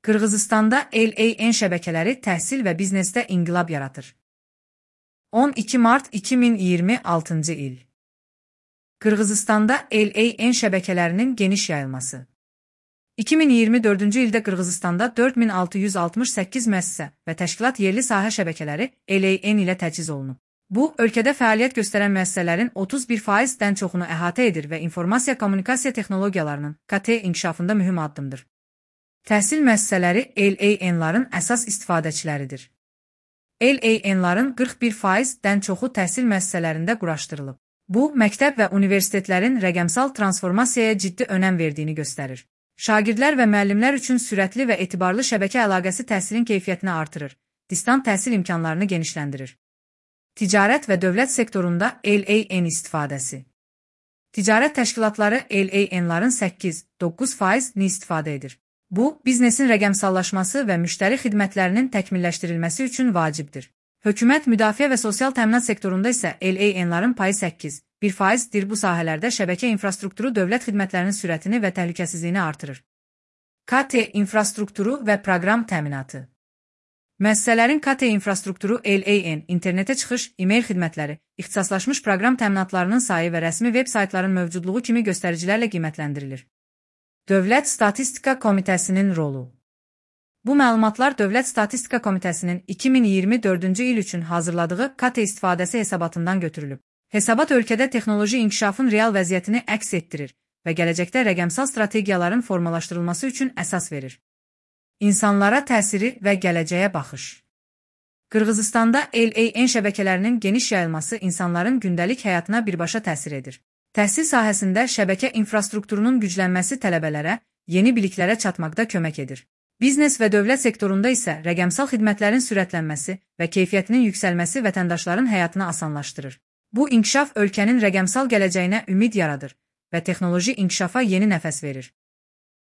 Qırğızistanda LAN şəbəkələri təhsil və biznesdə inqilab yaradır. 12 mart 2026-cı il. Qırğızistanda LAN şəbəkələrinin geniş yayılması. 2024-cü ildə Qırğızistanda 4668 müəssisə və təşkilat yerli sahə şəbəkələri LAN ilə təchiz olunub. Bu, ölkədə fəaliyyət göstərən müəssisələrin 31%-dən çoxunu əhatə edir və informasiya-kommunikasiya texnologiyalarının KT inkişafında mühüm addımdır. Təhsil müəssisələri LAN-ların əsas istifadəçiləridir. LAN-ların 41%-dən çoxu təhsil müəssisələrində quraşdırılıb. Bu, məktəb və universitetlərin rəqəmsal transformasiyaya ciddi önəm verdiyini göstərir. Şagirdlər və müəllimlər üçün sürətli və etibarlı şəbəkə əlaqəsi təhsilin keyfiyyətini artırır, distant təhsil imkanlarını genişləndirir. Ticarət və dövlət sektorunda LAN istifadəsi. Ticarət təşkilatları LAN-ların 8-9%-ni istifadə edir. Bu, biznesin rəqəmsallaşması və müştəri xidmətlərinin təkmilləşdirilməsi üçün vacibdir. Hökumət, müdafiə və sosial təminat sektorunda isə LAN-ların payı 8,1%-dir. Bu sahələrdə şəbəkə infrastrukturu dövlət xidmətlərinin sürətini və təhlükəsizliyini artırır. KT infrastrukturu və proqram təminatı. Müəssisələrin KT infrastrukturu LAN, internetə çıxış, e-mail xidmətləri, ixtisaslaşmış proqram təminatlarının sayı və rəsmi veb saytların mövcudluğu kimi göstəricilərlə qiymətləndirilir. Dövlət Statistika Komitəsinin rolu. Bu məlumatlar Dövlət Statistika Komitəsinin 2024-cü il üçün hazırladığı KT istifadəsi hesabatından götürülüb. Hesabat ölkədə texnoloji inkişafın real vəziyyətini əks etdirir və gələcəkdə rəqəmsal strategiyaların formalaşdırılması üçün əsas verir. İnsanlara təsiri və gələcəyə baxış. Qırğızistanda LAN şəbəkələrinin geniş yayılması insanların gündəlik həyatına birbaşa təsir edir. Təhsil sahəsində şəbəkə infrastrukturunun güclənməsi tələbələrə yeni biliklərə çatmaqda kömək edir. Biznes və dövlət sektorunda isə rəqəmsal xidmətlərin sürətlənməsi və keyfiyyətinin yüksəlməsi vətəndaşların həyatını asanlaşdırır. Bu inkişaf ölkənin rəqəmsal gələcəyinə ümid yaradır və texnoloji inkişafa yeni nəfəs verir.